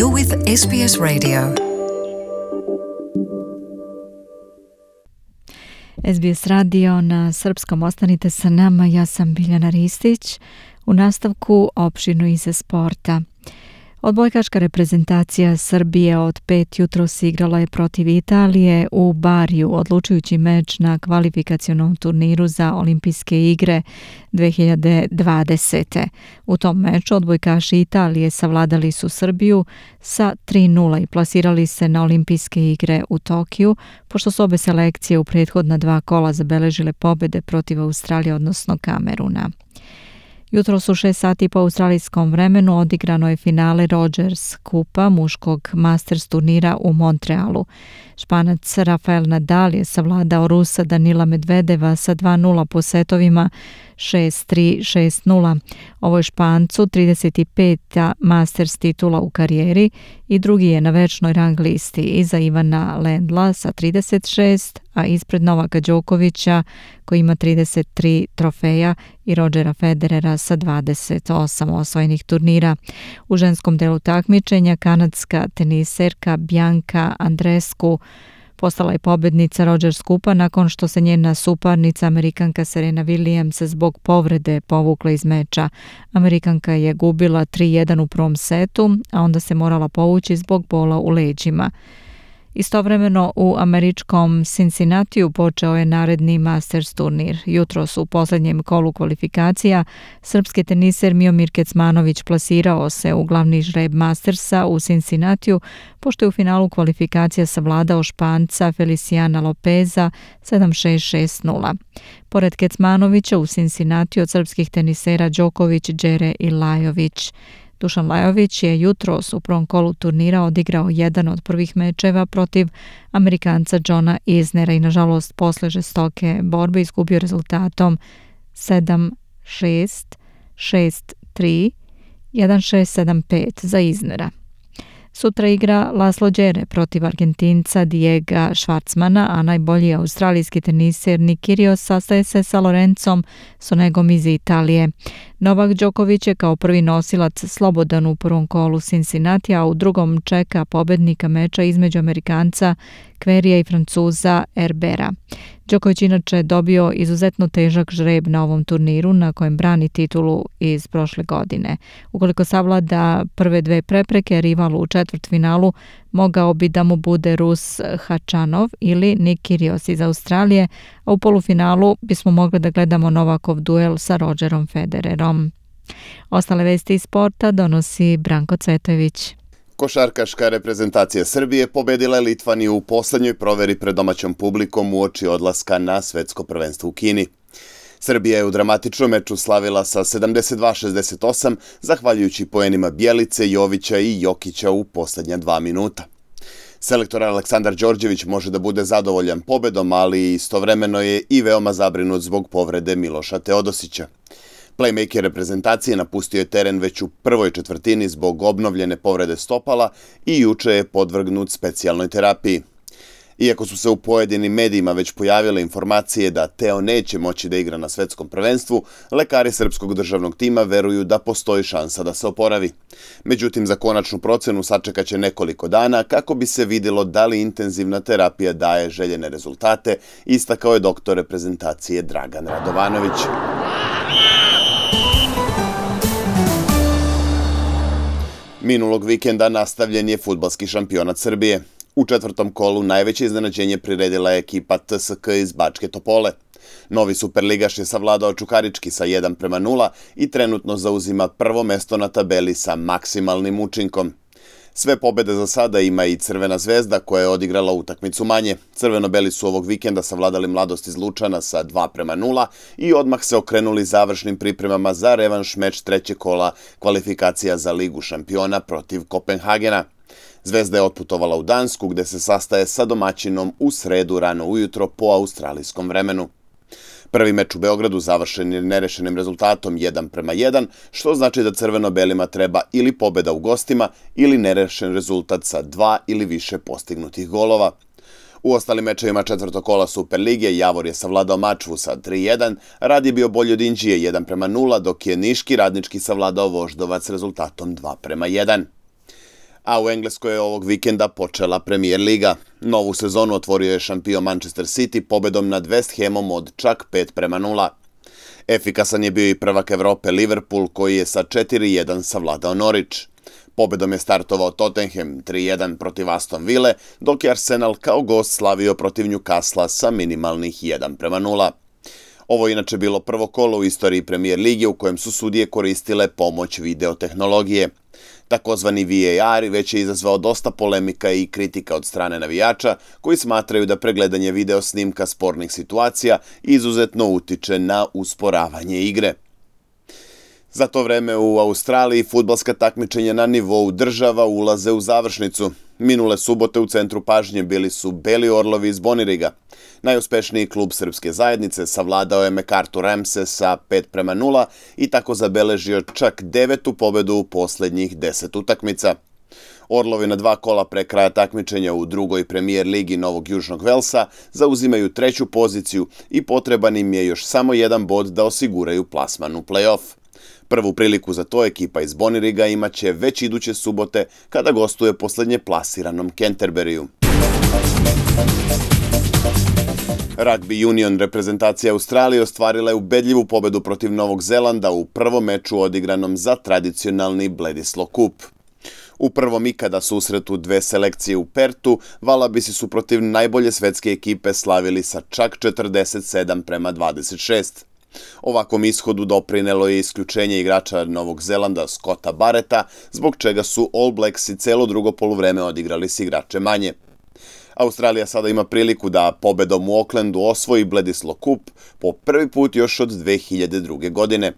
You're with SBS Radio. SBS radio na srpskom, ostanite sa nama, ja sam Biljana Ristić. U nastavku opširno iz sporta. Odbojkaška reprezentacija Srbije od 5 jutros igrala je protiv Italije u Bariju, odlučujući meč na kvalifikacionom turniru za Olimpijske igre 2020. U tom meču odbojkaši Italije savladali su Srbiju sa 3:0 i plasirali se na Olimpijske igre u Tokiju, pošto su obe selekcije u prethodna 2 kola zabeležile pobjede protiv Australije, odnosno Kameruna. Jutros u 6 sati po australijskom vremenu odigrano je finale Rogers Kupa muškog Masters turnira u Montrealu. Španac Rafael Nadal je savladao Rusa Danila Medvedeva sa 2:0 po setovima 6-3, 6-0. Ovo je Špancu 35. Masters titula u karijeri i drugi je na večnoj rang listi iza Ivana Lendla sa 36, a ispred Novaka Đokovića koji ima 33 trofeja i Rodgera Federera sa 28 osvojenih turnira. U ženskom delu takmičenja kanadska teniserka Bianca Andreescu postala je pobjednica Rogers Kupa nakon što se njena suparnica Amerikanka Serena Williams zbog povrede povukla iz meča. Amerikanka je gubila 3:1 u prvom setu, a onda se morala povući zbog bola u leđima. Istovremeno u američkom Cincinnatiju počeo je naredni Masters turnir. Jutros u posljednjem kolu kvalifikacija srpski teniser Miomir Kecmanović plasirao se u glavni žreb Mastersa u Cincinnatiju, pošto je u finalu kvalifikacija savladao Španca Feliciana Lopeza 7-6, 6-0. Pored Kecmanovića u Cincinnatiju od srpskih tenisera Đoković, Đere i Lajović. Dušan Lajović je jutros u prvom kolu turnira odigrao jedan od prvih mečeva protiv Amerikanca Johna Isnera i nažalost posle žestoke borbe izgubio rezultatom 7-6, 6-3, 1-6, 7-5 za Isnera. Sutra igra Laslo Đere protiv Argentinca Diega Schwartzmana, a najbolji australijski teniser Nick Kyrgios sastaje se sa Lorenzom Sonegom iz Italije. Novak Đoković je kao prvi nosilac slobodan u prvom kolu Cincinnati, a u drugom čeka pobednika meča između Amerikanca Kverija i Francuza Herbera. Đoković inače dobio izuzetno težak žreb na ovom turniru na kojem brani titulu iz prošle godine. Ukoliko savlada prve 2 prepreke, rival u četvrtfinalu mogao bi da mu bude Rus Hačanov ili Nick Kyrgios iz Australije, a u polufinalu bismo mogli da gledamo Novakov duel sa Rodgerom Federerom. Ostale vesti iz sporta donosi Branko Cvetojević. Košarkaška reprezentacija Srbije pobedila je Litvaniju u poslednjoj proveri pred domaćom publikom uoči odlaska na svetsko prvenstvo u Kini. Srbija je u dramatičnom meču slavila sa 72-68, zahvaljujući poenima Bjelice, Jovića i Jokića u poslednja 2 minuta. Selektor Aleksandar Đorđević može da bude zadovoljan pobedom, ali istovremeno je i veoma zabrinut zbog povrede Miloša Teodosića. Playmaker reprezentacije napustio je teren već u prvoj četvrtini zbog obnovljene povrede stopala i juče je podvrgnut specijalnoj terapiji. Iako su se u pojedinim medijima već pojavile informacije da Teo neće moći da igra na svetskom prvenstvu, lekari srpskog državnog tima veruju da postoji šansa da se oporavi. Međutim, za konačnu procenu sačekaće nekoliko dana kako bi se vidjelo da li intenzivna terapija daje željene rezultate, istakao je doktor reprezentacije Dragan Radovanović. Minulog vikenda nastavljen je fudbalski šampionat Srbije. U četvrtom kolu najveće iznenađenje priredila je ekipa TSK iz Bačke Topole. Novi superligaš je savladao Čukarički sa 1:0 i trenutno zauzima prvo mesto na tabeli sa maksimalnim učinkom. Sve pobjede za sada ima i Crvena zvezda koja je odigrala utakmicu manje. Crveno-beli su ovog vikenda savladali Mladost iz Lučana sa 2:0 i odmah se okrenuli završnim pripremama za revanš meč trećeg kola kvalifikacija za Ligu šampiona protiv Kopenhagena. Zvezda je otputovala u Dansku gde se sastaje sa domaćinom u sredu rano ujutro po australijskom vremenu. Prvi meč u Beogradu završen je nerešenim rezultatom 1:1, što znači da crveno-belima treba ili pobjeda u gostima ili nerešen rezultat sa 2 ili više postignutih golova. U ostalim mečevima četvrtog kola Superlige Javor je savladao Mačvu sa 3:1, Rad je bio bolji od Inđije 1:0, dok je Niški Radnički savladao Voždovac rezultatom 2:1. A u Engleskoj je ovog vikenda počela Premier Liga. Novu sezonu otvorio je šampion Manchester City pobedom nad West Hamom od čak 5-0. Efikasan je bio i prvak Evrope Liverpool koji je sa 4-1 savladao Norwich. Pobedom je startovao Tottenham 3-1 protiv Aston Ville, dok je Arsenal kao gost slavio protiv Newcastle sa minimalnih 1-0. Ovo je inače bilo prvo kolo u istoriji Premier Lige u kojem su sudije koristile pomoć videotehnologije. Takozvani VAR već je izazvao dosta polemika i kritika od strane navijača koji smatraju da pregledanje video snimka spornih situacija izuzetno utiče na usporavanje igre. Za to vreme u Australiji fudbalska takmičenja na nivou država ulaze u završnicu. Minule subote u centru pažnje bili su Beli Orlovi iz Boniriga. Najuspešniji klub srpske zajednice savladao je MacArthur Ramse sa 5-0 i tako zabeležio čak 9. pobedu u posljednjih 10 utakmica. Orlovi na 2 kola pre kraja takmičenja u drugoj Premier Ligi Novog Južnog Velsa zauzimaju 3. poziciju i potreban im je još samo 1 bod da osiguraju plasman u play-off. Prvu priliku za to ekipa iz Boniriga imaće već iduće subote kada gostuje posljednje plasiranom Canterburyju. Rugby Union reprezentacija Australije ostvarila je ubedljivu pobedu protiv Novog Zelanda u prvom meču odigranom za tradicionalni Bledisloe Cup. U prvom ikada susretu 2 selekcije u Pertu, Valabisi su protiv najbolje svetske ekipe slavili sa čak 47-26. Ovakvom ishodu doprinelo je isključenje igrača Novog Zelanda Scotta Barretta, zbog čega su All Blacksi celo drugo poluvreme odigrali s igrače manje. Australija sada ima priliku da pobedom u Aucklandu osvoji Bledisloe Cup po prvi put još od 2002. godine.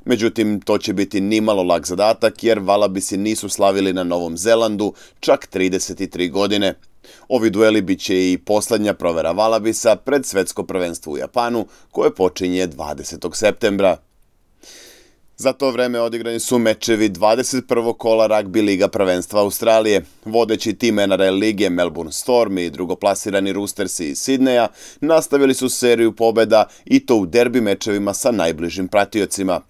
Međutim, to će biti nimalo lak zadatak jer Valabisi nisu slavili na Novom Zelandu čak 33 godine. Ovi dueli bit će i posljednja provera Valabisa pred svetsko prvenstvo u Japanu koje počinje 20. septembra. Za to vreme odigrani su mečevi 21. kola Rugby Liga prvenstva Australije. Vodeći tim NRL lige Melbourne Storm i drugoplasirani Roostersi iz Sidneja nastavili su seriju pobjeda i to u derbi mečevima sa najbližim pratiocima.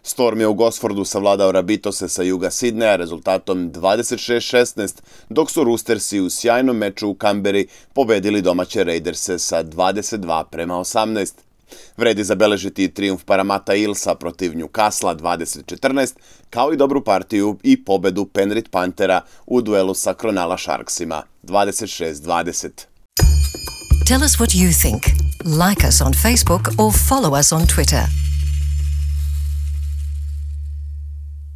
Storm je u Gosfordu savladao Rabitose sa juga Sidneja rezultatom 26-16, dok su Roostersi u sjajnom meču u Kamberi pobedili domaće Raiderse sa 22-18. Vredi zabeležiti trijumf Parramatta Eelsa protiv Newcastle 20-14, kao i dobru partiju i pobedu Penrith Panthera u duelu sa Cronulla Sharksima 26-20. Tell us what you think. Like us on Facebook or follow us on Twitter.